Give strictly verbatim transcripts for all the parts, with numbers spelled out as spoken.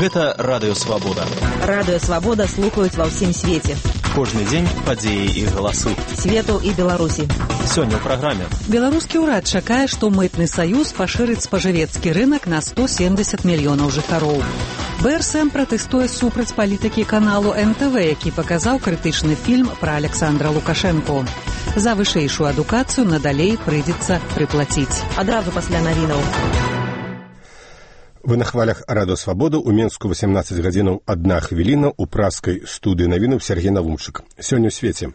Гэта Радыё Свабода. Радыё Свабода слухаюць ва ўсім свеце. Кожны дзень падзеі і галасы. Свету і Беларусі. Сёння ў праграме. Беларускі ўрад чакае, што мытны саюз пашырыць спажывецкі рынак на сто семьдесят мільёнаў жыхароў. бэ эр эс эм пратэстуе супраць палітыкі каналу эн тэ вэ, які паказаў крытычны фільм пра Александра Лукашэнку. За вышэйшую адукацыю надалей прыйдзецца прыплаціць. Адразу пасля навінаў. Вы на хвалях Радыё Свабода, у Менску восемнадцать гадзінаў адна хвіліна, у праскай студыі навінаў Сергей Навумчык. Сёння ў свеце.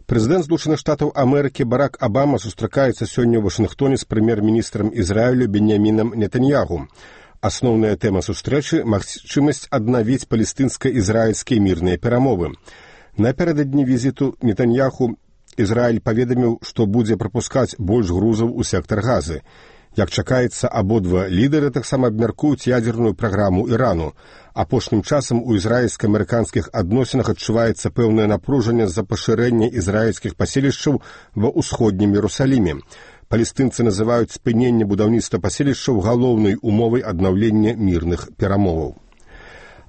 Прэзідэнт Злучаных Штатаў Амерыкі Барак Абама сустракаецца сёння ў Вашынгтоне з прэм'ер-міністрам Ізраілю Беньямінам Нетаньягу. Асноўная тэма сустрэчы – магчымасць аднавіць палестынска-ізраільскія мірныя перамовы. Напярэдадні візіту Нетаньяху Ізраіль паведаміў, што будзе прапускаць больш грузаў у сектар Газы. Як чакаецца, абодва лідары таксама абмяркуюць ядзерную праграму Ірану. Апошнім часам у ізраільска-амерыканскіх адносінах адчуваецца пэўнае напружанне з-за пашырэння ізраільскіх паселішчаў ва ўсходнім Іерусаліме. Палестынцы называюць спыненне будаўніцтва паселішчаў галоўнай умовай аднаўлення мірных перамоваў.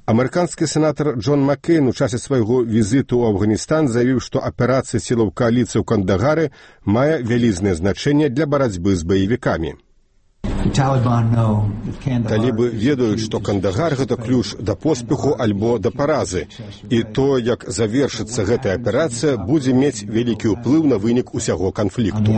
Амерыканскі сенатар Джон Маккейн у часе свайго візіту ў Афганістан заявіў, што аперацыя сілаў кааліцыі ў Кандагары мае вялізнае значэнне для барацьбы з баевікамі. Талібы ведаюць, што Кандагар – гэта ключ да поспеху альбо да паразы. І то, як завершыцца гэтая аперацыя, будзе мець вялікі ўплыў на вынік усяго канфлікту.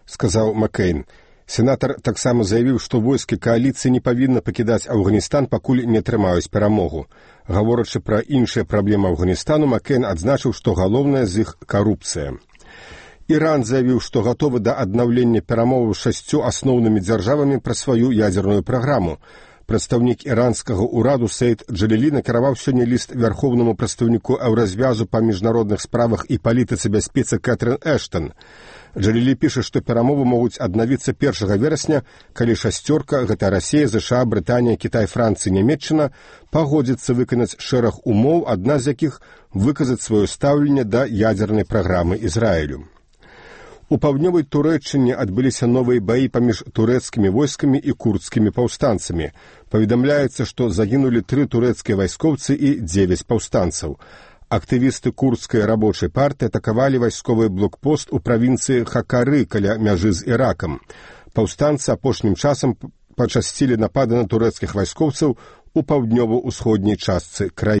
Сказаў Маккейн. Сенатар таксама заявіў, што войскі кааліцыі не павінны пакідаць Афганістан, пакуль не атрымаюць перамогу. Гаворачы пра іншыя праблемы Афганістану, Маккейн адзначыў, што галоўнае з іх карупцыя. Іран заявіў, што гатовы да аднаўлення перамоваў з шасцю асноўнымі дзяржавамі пра сваю ядзерную праграму. Прадстаўнік іранскага ўраду Сейд Джалілі накіраваў сёння ліст вярхоўнаму прадстаўніку Еўразвязу па міжнародных справах і палітыцы бяспецы Кэтрын Эштон. Джалілі піша, што перамовы могуць аднавіцца першага верасня, калі шасцёрка, гэта Расія, ЗША, Брытанія, Кітай, Францыя, Нямецчына, пагодзіцца выканаць шэраг умоў, адна з якіх выказаць сваё стаўленне да ядзернай праграмы Ізраілю. У паўднёвай Турэччыне адбыліся новыя баі паміж турэцкімі войскамі і курдскімі паўстанцамі. Паведамляецца, што загінулі тры турэцкія вайскоўцы і дзевяць паўстанцаў. Актывісты курдскай рабочай партыі атакавалі вайсковы блокпост у правінцыі Хакары каля мяжы з Іракам. Паўстанцы апошнім часам пачасцілі напады на турэцкіх вайскоўцаў у паўднёва-ўсходняй частцы краіны.